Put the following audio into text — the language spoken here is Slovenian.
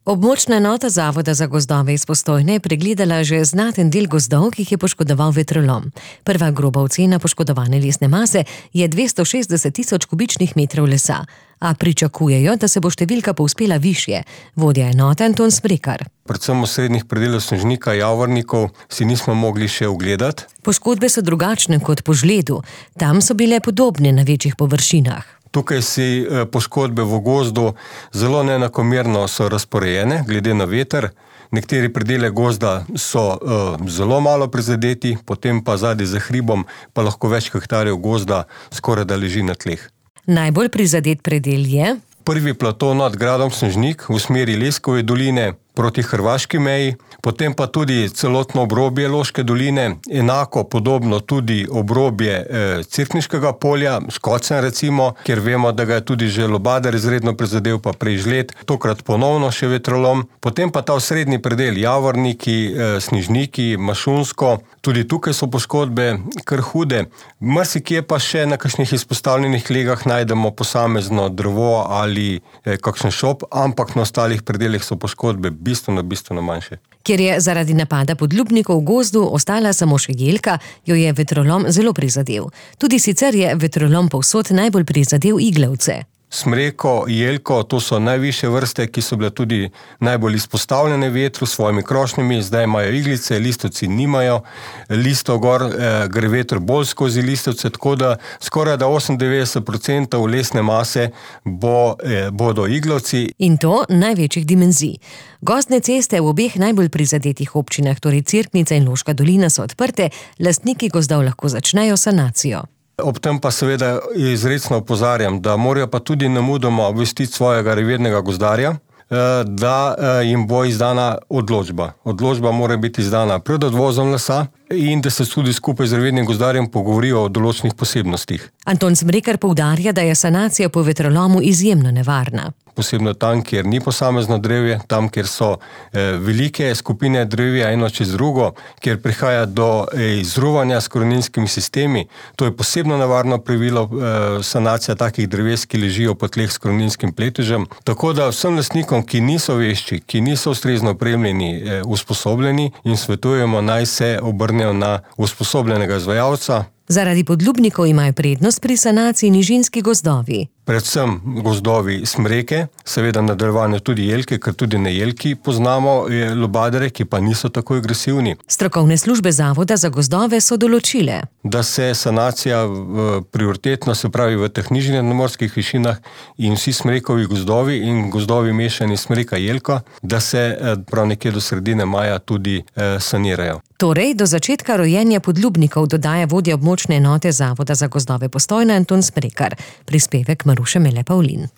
Območna enota Zavoda za gozdove iz Postojne je pregledala že znaten del gozdov, ki jih je poškodoval vetrolom. Prva groba ocena poškodovane lesne mase je 260 tisoč kubičnih metrov lesa, a pričakujejo, da se bo številka povzpela višje. Vodja enote Anton Smrekar. Predvsem v srednjih predelih snežnika, javornikov si nismo mogli še ogledati. Poškodbe so drugačne kot po žledu. Tam so bile podobne na večjih površinah. Tukaj si poškodbe v gozdu zelo neenakomerno so razporejene, glede na veter. Nekateri predele gozda so zelo malo prizadeti, potem pa zadaj za hribom pa lahko več hektarjev gozda skoraj da leži na tleh. Najbolj prizadet predel je prvi plato nad gradom Snežnik v smeri Leskove doline proti hrvaški meji, potem pa tudi celotno obrobje Loške doline, enako podobno tudi obrobje Cerkniškega polja, Škocen recimo, kjer vemo, da ga je tudi že Lobadar izredno prizadel, pa prej žled, tokrat ponovno še vetrolom. Potem pa ta osrednji predel, Javorniki, Snežniki, Mašunsko, tudi tukaj so poškodbe kar hude. Marsikje pa še na kakšnih izpostavljenih legah najdemo posamezno drevo ali kakšen šop, ampak na ostalih predelih so poškodbe bistveno manjše. Ker je zaradi napada podlubnikov v gozdu ostala samo še jelka, jo je vetrolom zelo prizadel. Tudi sicer je vetrolom povsod najbolj prizadel iglavce. Smreko, jelko, to so najvišje vrste, ki so bile tudi najbolj izpostavljene vetru s svojimi krošnjami. Zdaj imajo iglice, listovci nimajo. Listov gor gre veter bolj skozi listovce, tako da skoraj da 98% lesne mase bodo iglavci. In to največjih dimenzij. Gozdne ceste v obeh najbolj prizadetih občinah, torej Cerknica in Loška dolina, so odprte, lastniki gozdov lahko začnejo sanacijo. Ob tem pa seveda izrecno opozarjam, da morajo pa tudi nemudoma obvestiti svojega revirnega gozdarja, da jim bo izdana odločba. Odločba mora biti izdana pred odvozom lesa in da se tudi skupaj z revirnim gozdarjem pogovorijo o določenih posebnostih. Anton Smrekar poudarja, da je sanacija po vetrolomu izjemno nevarna. Posebno tam, kjer ni posamezno drevje, tam, kjer so velike skupine drevja eno čez drugo, kjer prihaja do izruvanja s koreninskimi sistemi. To je posebno nevarno pravilo sanacija takih dreves, ki ležijo po tleh s koreninskim pletežem. Tako da vsem lastnikom, ki niso vešči, ki niso ustrezno opremljeni, usposobljeni, in svetujemo, naj se obrnejo na usposobljenega izvajalca. Zaradi podlubnikov imajo prednost pri sanaciji nižinski gozdovi. Predvsem gozdovi smreke, seveda nadaljevanje tudi jelke, ker tudi na jelki poznamo lobadare, ki pa niso tako agresivni. Strokovne službe Zavoda za gozdove so določile, da se sanacija prioritetno, se pravi v teh nižjih nadmorskih višinah, in vsi smrekovi gozdovi in gozdovi mešani smreka jelka, da se prav nekje do sredine maja tudi sanirajo. Torej, do začetka rojenja podlubnikov, dodaja vodja območne enote Zavoda za gozdove Postojna Anton Smrekar. Prispevek Maruše Mele Pavlin.